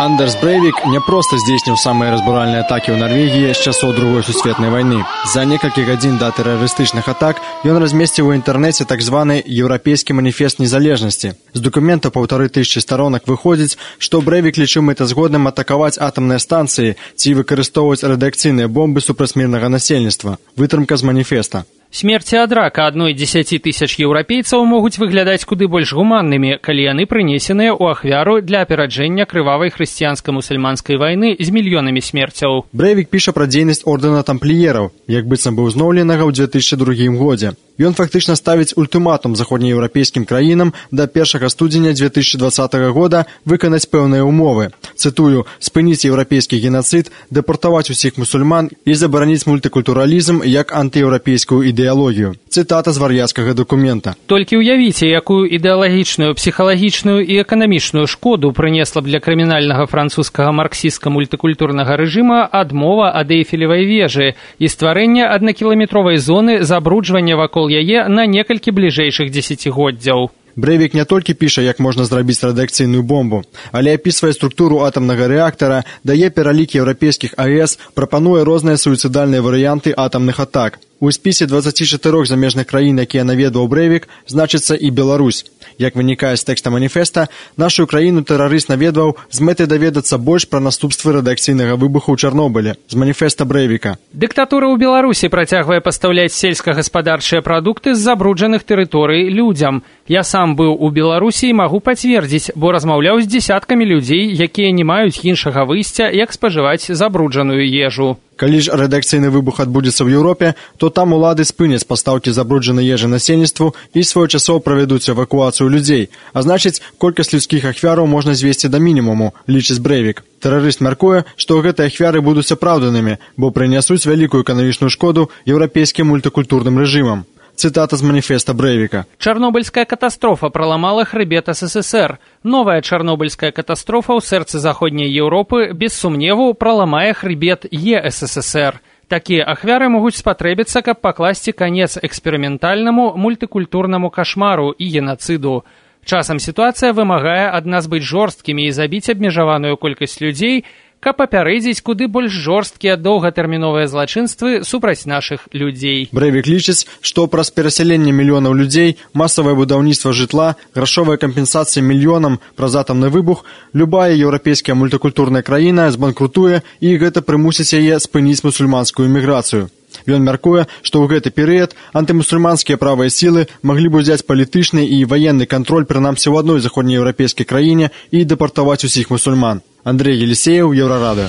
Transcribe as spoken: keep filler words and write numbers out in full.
Андерс Брейвік не проста здзейсніў самыя разбуральныя атакі ў Нарвегіі з часоў другой сусветнай вайны. За некалькі гадзін да тэрарыстычных атак ён размесціў у інтэрнэце так званы еўрапейскі маніфест незалежнасці. З дакумента паўтары тысячы старонак выходзіць, што Брейвік лічыў мэтазгодным атакаваць атамныя станцыі ці выкарыстоўваць радыякцыйныя бомбы супраць мірнага насельніцтва. Вытрымка з маніфеста. Смерці ад рака адной дзесяці тысяч еўрапейцаў могуць выглядаць куды больш гуманнымі, калі яны прынесеныя ў ахвяру для апераджэння крывавай хрысціянска-мусульманскай вайны з мільёнамі смерцяў. Брейвік піша пра дзейнасць ордэна тампліераў, як быццам быў зноўленага ў дзве тысячы другім годзе. Ён фактычна ставіць ультыматум заходнееўрапейскім краінам да першага студзеня дзве тысячы дваццатага года выканаць пэўныя ўмовы. Цытую: спыніць еўрапейскі генацыд, дэпартаваць усіх мусульман і забараніць мультыкультуралізм як антыеўрапейскую ідэалогію. Цытата з вар'яцкага дакумента. Толькі ўявіце, якую ідэалагічную, псіхалагічную і эканамічную шкоду прынесла б для крымінальнага французскага марксістска-мультыкультурнага рэжыма адмова ад Эйфелевай вежы і стварэнне аднакіламетровай зоны забруджвання вакол яе на некалькі бліжэйшых дзесяцігоддзяў. Брейвік не толькі піша, як можна зрабіць радыякцыйную бомбу, але апісвае структуру атамнага рэактара, дае пералік еўрапейскіх АЭС, прапануе розныя суіцыдальныя варыянты атамных атак. У спісе дваццаці чатырох замежных краін, якія наведваў Брейвік, значыцца і Беларусь. Як вынікае з тэкста маніфеста, нашу краіну тэрарыст наведваў з мэтай даведацца больш пра наступствы радыякцыйнага выбуху ў Чарнобылі. З маніфеста Брейвіка. Дыктатура ў Беларусі працягвае пастаўляць сельскагаспадарчыя прадукты з забруджаных тэрыторый людзям. Я сам быў у Беларусі і магу пацвердзіць, бо размаўляў з дзесяткамі людзей, якія не маюць іншага выйсця, як спажываць забруджаную ежу. Калі ж радыякцыйны выбух адбудзецца ў Еўропе, то там улады спыняць пастаўкі забруджанай ежы насельніцтву і своечасова правядуць эвакуацыю людзей. А значыць, колькасць людскіх ахвяраў можна звесці да мінімуму, лічыць Брейвік. Тэрарыст мяркуе, што гэтыя ахвяры будуць апраўданымі, бо прынясуць вялікую эканамічную шкоду еўрапейскім мультыкультурным рэжымам. Цытата з маніфеста Брейвіка. Чарнобыльская катастрофа праламала хрыбет СССР. Новая чарнобыльская катастрофа ў сэрцы заходняй Еўропы без сумневу праламае хрыбет ЕССР. Такія ахвяры могуць спатрэбіцца, каб пакласці канец эксперыментальнаму мультыкультурнаму кашмару і генацыду. Часам сітуацыя вымагае ад нас быць жорсткімі і забіць абмежаваную колькасць людзей, каб папярэдзіць куды больш жорсткія доўгатэрміновыя злачынствы супраць нашых людзей. Брейвік лічыць, што праз перасяленне мільёнаў людзей, масавае будаўніцтва жытла, грашовая кампенсацыя мільёнам праз атамны выбух, любая еўрапейская мультыкультурная краіна збанкрутуе і гэта прымусіць яе спыніць мусульманскую эміграцыю. Ён мяркуе, што ў гэты перыяд антымусульманскія правыя сілы маглі б узяць палітычны і ваенны кантроль прынамсі ў адной заходнееўрапейскай краіне і дэпартаваць усіх мусульман. Андрей Елисеев, Еврорадио.